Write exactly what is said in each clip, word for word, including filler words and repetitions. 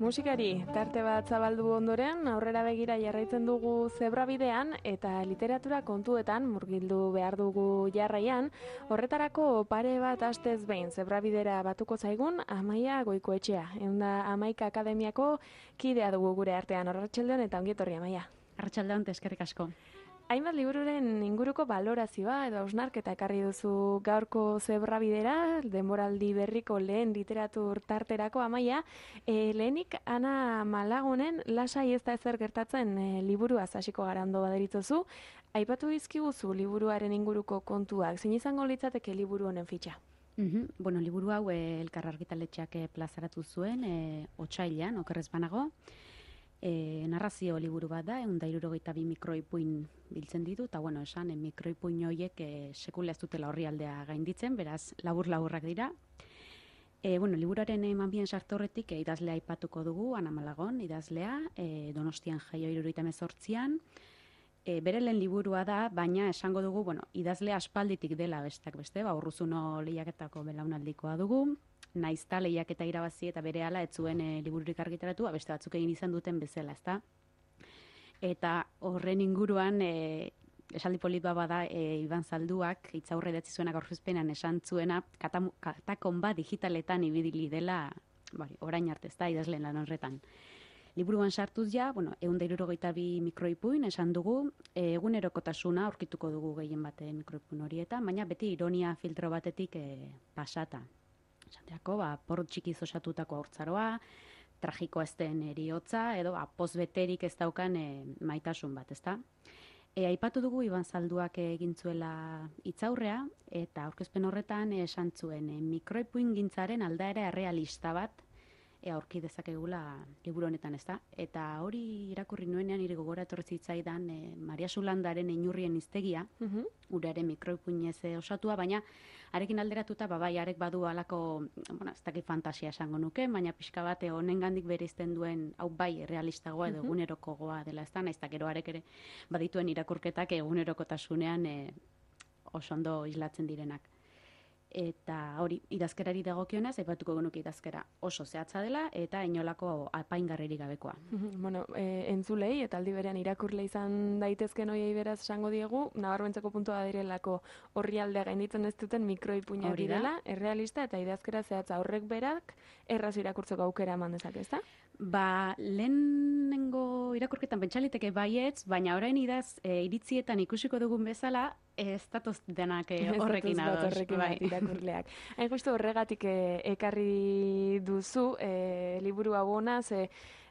Musikari tarte bat zabaldu ondoren, aurrera begira jarraitzen dugu zebrabidean eta literatura kontuetan murgildu behar dugu jarraian, horretarako pare bat astez behin zebrabidera batuko zaigun Amaia Goikoetxea, eunda Amaika Akademiako kidea dugu gure artean. Arratsaldeon eta ongi etorri, Amaia. Arratsaldeon, eskerrik asko. Hainbat libururen inguruko balorazioa edo hausnarketa ekarri duzu gaurko zebrabidera, denboraldi berriko lehen literatur tarterako, Amaia. E, lehenik, Ana Malagonen lasai ez da ezer gertatzen e, liburuaz hasiko gara ondo baderitzozu. Aipatu dizkiguzu liburuaren inguruko kontuak, zein izango litzateke liburu honen fitxa? Mm-hmm. Bueno, liburu hau e, Elkar argitaletxeak e, plazaratu zuen, e, otsailean, okerrez banago. E, narrazio liburu bat da, egun da hirurogeita bi mikroipuin biltzen ditu, eta bueno, esan, e, mikroipuin horiek e, sekula ez dutela horri aldea gainditzen, beraz, labur-laburrak dira. E, bueno, liburuaren eman bien sartorretik e, idazlea aipatuko dugu, Ana Malagon, idazlea, e, Donostian jaio hirurogeita hemezortzian. E, bere lehen liburua da, baina esango dugu, bueno, idazlea aspalditik dela bestak beste, ba, Urruzuno lehiaketako belaunaldikoa dugu, naizta lehiaketa irabazi eta berehala ez zuen e, libururik argitaratu, beste batzuk egin izan duten bezala, ezta? Eta horren inguruan, e, esaldi polit bat bada, e, Iban Zalduak, hitzaurre idatzi zuenak aurkezpenean esan zuena, katam, katakon bat digitaletan ibili dela, bari, orain arte, ezta, idazleen lan horretan. Liburuan sartuz ja, bueno, ehun eta hirurogeita bi mikroipuin esan dugu, e, egunerokotasuna aurkituko dugu gehien bate mikroipuin horietan, baina beti ironia filtro batetik e, pasata. Esateako, ba, porrot txikiz osatutako haurtzaroa, tragiko ez den eriotza, edo ba, pozbeterik ez daukan e, maitasun bat, ezta? E, aipatu dugu Iban Zalduak egin zuela hitzaurrea, eta aurkezpen horretan esan zuen e, mikroipuin gintzaren aldaera errealista bat e, aurki dezakegula liburu honetan, ezta? Eta hori irakurri nuenean nire gogora etorri zitzaidan e, Maria Sulandaren Inurrien hiztegia, uh-huh. uraren mikroipuinez osatua, baina arekin alderatuta, ba, bai, arek badu alako, bueno, ez dakit fantasia esango nuke, baina pixka bat honengandik bereizten duen, hau bai, realistagoa edo egunerokogoa dela, ez da, nahiz eta gero arek ere badituen irakurketak egunerokotasunean e, oso ondo islatzen direnak. Eta hori, idazkerari dagokionez, aipatuko genuke idazkera oso zehatza dela eta inolako apaingarririk gabekoa. Bueno, e, entzulei eta aldi berean irakurle izan daitezken hoiei beraz esango diegu, nabarmentzeko puntua direlako orrialdea gainditzen ez duten mikroipuinak direla, errealista eta idazkera zehatza horrek berak erraz irakurtzeko aukera eman dezake, ezta? Ba, lehenengo irakurketan pentsaliteke baietz, baina orain idaz e, iritzietan ikusiko dugun bezala, ez datoz denak e, horrekin ados. Horrekin bai. Irakurleak. Hain justu horregatik e, ekarri duzu e, liburu hau ona, ze,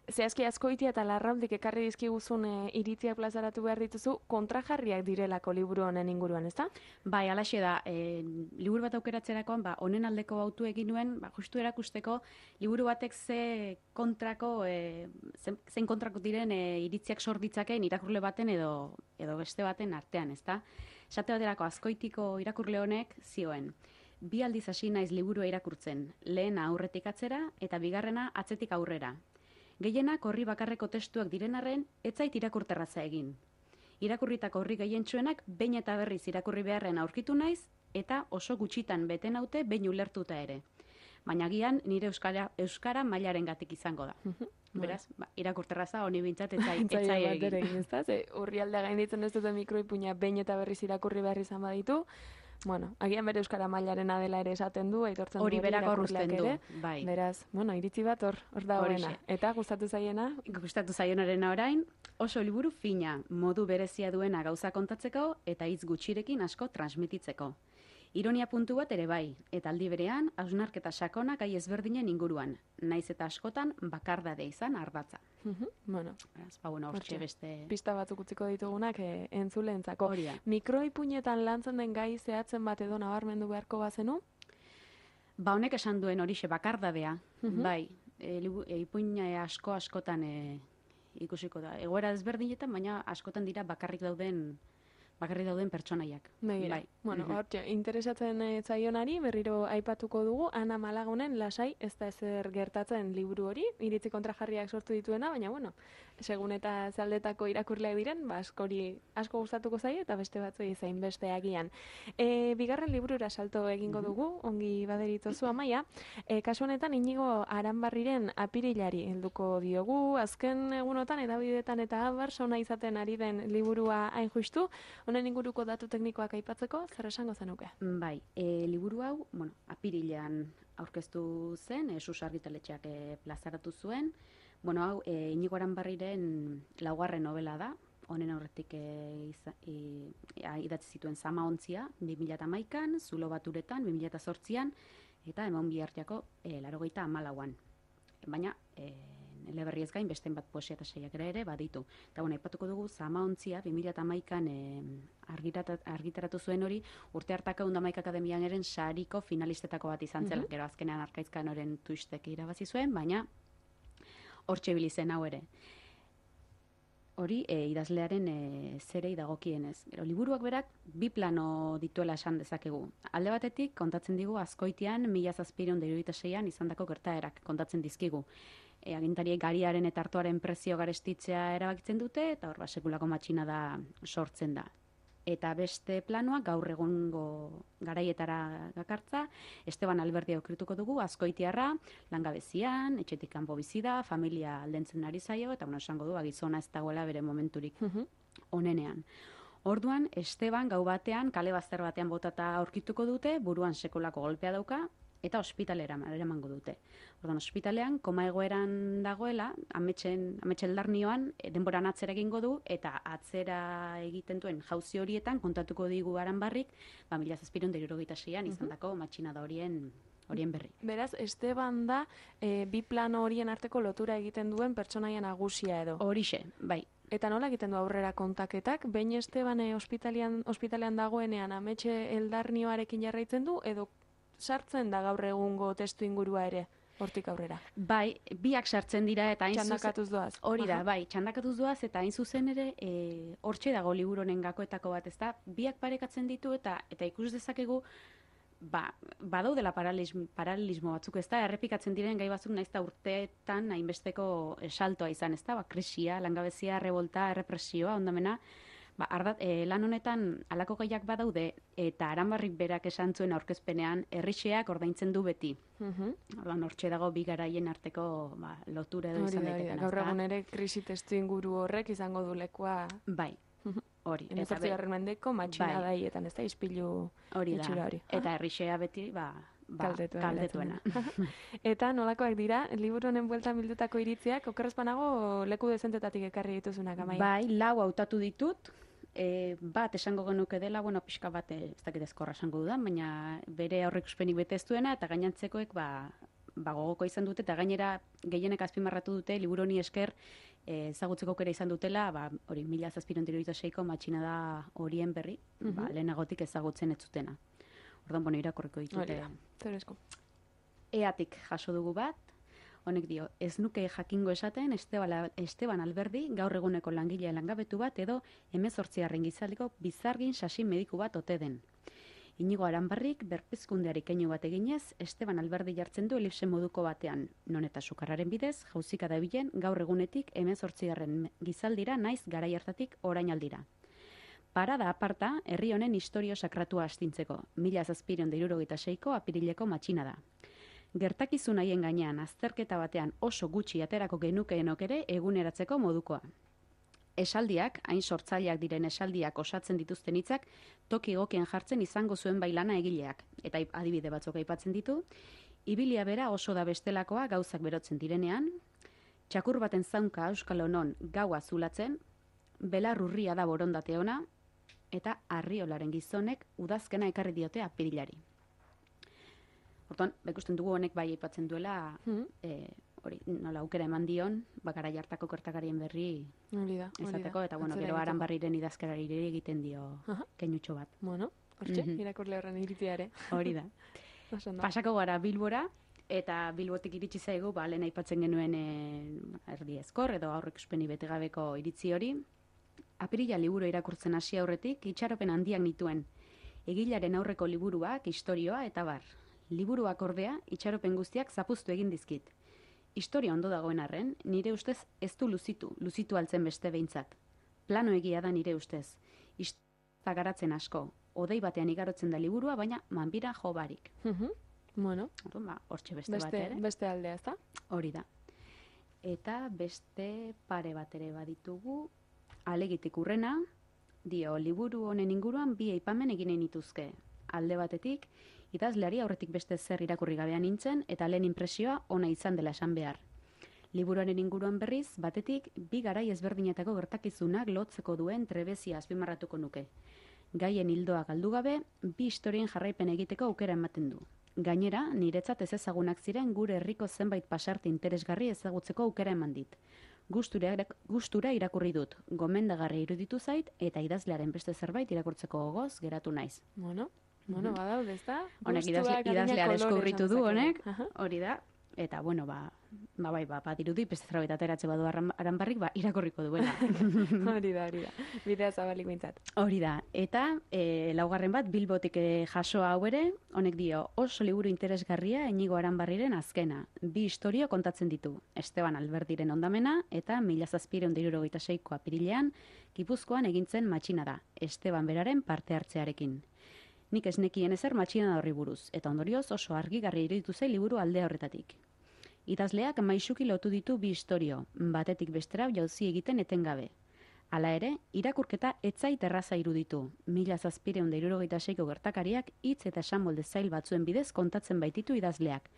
zehazki askoitia eta larraundik ekarri dizkiguzun e, iritziak plazaratu behar dituzu, kontrajarriak direlako liburu honen inguruan, ezta? Bai, alaxe da, e, liburu bat aukeratzerakoan, ba, honen aldeko bautu egin nuen, ba, justu erakusteko, liburu batek ze kontrako, e, zein kontrako diren e, iritziak sorditzakeen irakurle baten edo, edo beste baten artean, ezta? Esate baterako askoitiko irakurle honek zioen. Bi aldiz hasi naiz liburua irakurtzen, lehena aurretik atzera eta bigarrena atzetik aurrera. Gehienak horri bakarreko testuak diren arren, ez zait irakurterraza egin. Irakurritako horri gehientsuenak behin eta berriz irakurri beharren aurkitu naiz eta oso gutxitan beten haute behin ulertuta ere. Baina gian nire euskara, euskara mailaren gatik izango da. Beraz, ba, irakurterraza honi bintzat etzai egin. Urrialdea gainditzen ez duten mikroipuina behin eta berriz irakurri behar izan baditu, bueno, agian bere euskara mailarena dela ere esaten du, aitortzen hori berak horrezten du, bai. Beraz, bueno, iritzi bat hor, hor da horrena. Eta gustatu zaiena? Gustatu zaionarena orain, oso liburu fina, modu berezia duena gauza kontatzeko eta hitz gutxirekin asko transmititzeko. Ironia puntu bat ere bai, eta aldi berean, hausnarketa sakona gai ezberdinen inguruan, naiz eta askotan bakardade izan ardatza. Bueno, ba, bueno, hortxe beste... Pista batzuk utziko ditugunak e, entzuleentzako. Mikroipuinetan lantzen den gai zehatzen bat edo nabarmendu beharko bazenu? Ba, honek esan duen horixe bakardadea, bai, e, e, ipuina asko askotan e, ikusiko da. Egoera ezberdinetan, baina askotan dira bakarrik dauden... bakarri dauden pertsonaiak. Begira, bai. Bueno, mm-hmm. hortxe, interesatzen e, zaionari, berriro aipatuko dugu, Ana Malagonen lasai ez da ezer gertatzen liburu hori, iritzi kontrajarriak sortu dituena, baina bueno, segun eta zaldetako irakurleak diren, ba, askori asko gustatuko zaie eta beste batzuei zain beste agian. E, bigarren liburura salto egingo dugu, ongi baderitozu Amaia. E, kasu honetan Inigo Aranbarriren Apirilari helduko diogu, azken egunotan edabidetan eta abar sona izaten ari den liburua hain justu, honen inguruko datu teknikoak aipatzeko, zer esango zenuke? Bai, e, liburu hau, bueno, apirilean aurkeztu zen, e, Sus argitaletxeak e, plazaratu zuen. Bueno, hau, e, Inigo Aranbarriren laugarren novela da, honen aurretik e, iza, e, idatzi zituen Zama ontzia, bi mila hamaikan, Zulo baturetan, bi mila zortzian, eta Emon bihartiako e, laurogeita hamalauan. Baina, e, eleberri ez gain, beste bat poesia eta saiakera ere baditu. Eta bueno, aipatuko dugu Zama ontzia, bi mila hamaikan e, argitaratu zuen hori, urte hartako Undamaik Akademian eren sariko finalistetako bat izan zela, mm-hmm. Gero azkenean Arkaizkan oren tuistek irabazi zuen, baina hortxe bilizen hau ere. Hori, e, idazlearen e, zerei dagokienez. Gero, liburuak berak bi plano dituela esan dezakegu. Alde batetik, kontatzen digu Azkoitian, mila zazpiehun eta hirurogeita seian izandako gertaerak kontatzen dizkigu. E, agintariek gariaren eta artoaren prezio garestitzea erabakitzen dute, eta hor, ba, sekulako matxina da sortzen da. Eta beste planoa gaur egungo garaietara gakartza, Esteban Alberdi aukrituko dugu, Azkoitiarra, langabezian, etxetik kanpo bizi da, familia aldentzen ari zaio, eta bueno, esango du, gizona ez dagoela bere momenturik onenean. Orduan, Esteban gau batean, kale bazter batean botata aurkituko dute, buruan sekulako golpea dauka, eta ospitalera eramango dute. Orduan, ospitalean, koma egoeran dagoela, ametxen, ametxeldarnioan, denboran atzera egingo du, eta atzera egiten duen jauzi horietan, kontatuko digu Aranbarrik, ba, mila zazpiehun eta hirurogeita seian izandako matxinada horien horien berri. Beraz, Esteban da, e, bi plano horien arteko lotura egiten duen pertsonaia nagusia edo. Horixe, bai. Eta nola egiten du aurrera kontaketak? Behin Esteban e, ospitalean, ospitalean dagoenean ametxe eldarnioarekin jarraitzen du, edo sartzen da gaur egungo testu ingurua ere, hortik aurrera? Bai, biak sartzen dira eta hain zuzen... Txandakatuz doaz. Hori da, bai, txandakatuz doaz eta hain zuzen ere e, hortxe dago liburonen gakoetako bat, ezta? Biak parekatzen ditu eta eta ikus dezakegu ba, badaudela paralelismo batzuk, ezta? Errepikatzen diren gai batzuk naizta urteetan hainbesteko saltoa izan, ezta? Ba, krisia, langabezia, revolta, errepresioa, ondamena... Ba, ardat, e, lan honetan alako gaiak badaude eta Aranbarrik berak esan zuen aurkezpenean herrixeak ordaintzen du beti. Uh-huh. Orduan hortxe dago bi garaien arteko ba, lotura edo izan daiteken. Gaur egun ere krisi testu inguru horrek izango du lekua. Bai, hori. Hemezortzigarren mendeko matxina bai. daietan, ez da, ispilu hori da. Hori. Eta herrixea beti, ba, ba kaldetuena. Eta nolakoak dira, liburu honen bueltan bildutako iritziak, okerrez banago leku dezentetatik ekarri dituzunak, Amaia? Bai, lau hautatu ditut. E, bat esango genuke dela, bueno, pixka bat ez dakit ezkorra esango dudan, baina bere aurreikuspenik bete ez duena, eta gainantzekoek ba, ba gogoko izan dute, eta gainera gehienek azpimarratu dute, liburu honi esker e, ezagutzeko aukera izan dutela, ba, hori mila zazpiehun eta hirurogeita seiko matxinada horien berri, uh-huh. ba, lehenagotik ezagutzen ez zutena. Orduan, bueno, irakurriko ditute. Zerezko. Eatik jaso dugu bat, honek dio, ez nuke jakingo esaten Esteban Alberdi gaur eguneko langilea langabetu bat edo hemezortzigarren gizaldiko bizargin sasi mediku bat ote den. Inigo Aranbarrik berpizkundeari keinu bat eginez, Esteban Alberdi jartzen du elipse moduko batean, non eta sukarraren bidez, jauzika dabilen gaur egunetik hemezortzigarren gizaldira naiz garai hartatik orainaldira. Parada aparta, herri honen historio sakratua astintzeko, mila zazpiehun eta hirurogeita seiko apirileko matxina da. Gertakizun haien gainean azterketa batean oso gutxi aterako genukeenok ere eguneratzeko modukoa. Esaldiak, hain sortzaileak diren esaldiak osatzen dituzten hitzak, toki egokien jartzen izango zuen bailana egileak. Eta adibide batzuk aipatzen ditu, ibilia bera oso da bestelakoa gauzak berotzen direnean, txakur baten zaunka euskal honon gaua zulatzen, belar urria da borondate ona, eta arriolaren gizonek udazkena ekarri diote apirilari. Hortan, ikusten dugu honek bai aipatzen duela, mm. e, hori, nola aukera eman dion, bakara jartako kortakarien berri Olida, izateko, eta bueno, gero Aranbarriren idazkarari egiten dio uh-huh. keinutxo bat. Bueno, hortxe, mm-hmm. irakurle horren iritziare. Hori da. Pasako gara Bilbora, eta Bilbotik iritsi zaigu, ba, lehen aipatzen genuen e, erdi ezkor, edo aurrek uspeni betegabeko iritzi hori. Apirila liburu irakurtzen hasi aurretik, itxaropen handiak nituen. Egilaren aurreko liburuak, istorioa eta bar. Liburuak ordea, itxaropen guztiak zapuztu egin dizkit. historia ondo dagoen arren, nire ustez ez du luzitu, luzitu altzen beste behintzat. Plano egia da nire ustez. Historia garatzen asko, odei batean igarotzen da liburua, baina manbira jo barik. Mhm. Bueno, Orduan, ba, hortxe beste, beste, bat ere. beste aldea, ezta? Hori da. Eta beste pare bat ere baditugu, alegitik urrena, dio, liburu honen inguruan bi aipamen egin nituzke. Alde batetik, idazleari aurretik beste zer irakurri gabean nintzen, eta lehen inpresioa ona izan dela esan behar. Liburuaren inguruan berriz, batetik, bi garai ezberdinetako gertakizunak lotzeko duen trebezia azpimarratuko nuke. Gaien hildoa galdu gabe, bi historien jarraipen egiteko aukera ematen du. Gainera, niretzat ez ezagunak ziren gure herriko zenbait pasarte interesgarri ezagutzeko aukera eman dit. Gustura, gustura irakurri dut, gomendagarri iruditu zait, eta idazlearen beste zerbait irakurtzeko gogoz geratu naiz. Bueno, bueno, badaude, ezta? Honek idazle, Gustuak, adina, idazlea kolore deskubritu esan du dezakegu. honek, Aha. hori da, eta bueno, ba, ba bai, ba, badirudi beste zerbait ateratze badu arran- aranbarrik, ba, irakurriko duela. Hori da, hori da. Bidea zabalik bintzat. Hori da, eta e, laugarren bat Bilbotik e, jasoa hau ere, honek dio, oso liburu interesgarria Inigo Aranbarriren azkena. Bi historio kontatzen ditu, Esteban Alberdiren ondamena eta mila zazpiehun eta hirurogeita seiko apirilean Gipuzkoan egintzen matxina da, Esteban beraren parte hartzearekin. Nik ez nekien ezer matxina horri buruz, eta ondorioz oso argigarri iruditu zai liburu aldea horretatik. Idazleak maisuki lotu ditu bi historio, batetik bestera jauzi egiten etengabe. Hala ere, irakurketa etzait erraza iruditu. Mila zazpiehun eta hirurogeita seiko gertakariak hitz eta esamolde zail batzuen bidez kontatzen baititu idazleak,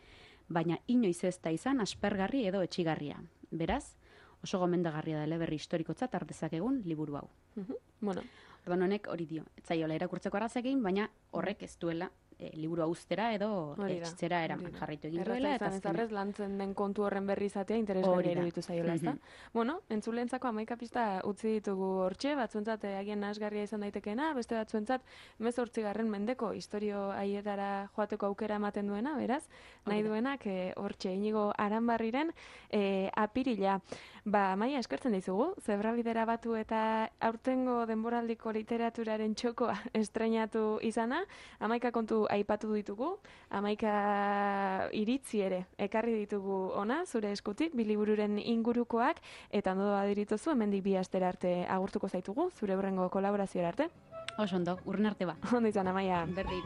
baina inoiz ez da izan aspergarri edo etxigarria. Beraz, oso gomendagarria da eleberri historikotzat har dezakegun liburu hau. Mhm. Bueno, Orduan honek hori dio, ez zaiola irakurtzeko arrazekin, baina horrek ez duela e, liburua uztera edo Hori da, etxera hori eraman da. jarraitu egin erraza duela. izan ez azkenean- arrez lantzen den kontu horren berri izatea Hori interesgarria da. iruditu zaiola, ezta? Mhm. Bueno, entzulentzako hamaika pista utzi ditugu hortxe, batzuentzat eh, agian nahasgarria izan daitekeena, beste batzuentzat hemezortzigarren mendeko historio haietara joateko aukera ematen duena, beraz, nahi Hori da. duenak eh, hortxe Inigo Aranbarriren eh, apirila. Ba, Maia, eskertzen dizugu, zebrabidera batu eta aurtengo denboraldiko literaturaren txokoa estreinatu izana, hamaika kontu aipatu ditugu, hamaika iritzi ere ekarri ditugu ona, zure eskutik, bi libururen ingurukoak, eta ondo badirituzu, hemendik bi astera arte agurtuko zaitugu, zure hurrengo kolaborazioa arte. Oso ondo, urren arte ba. Ondo izan, Amaia. Berdin.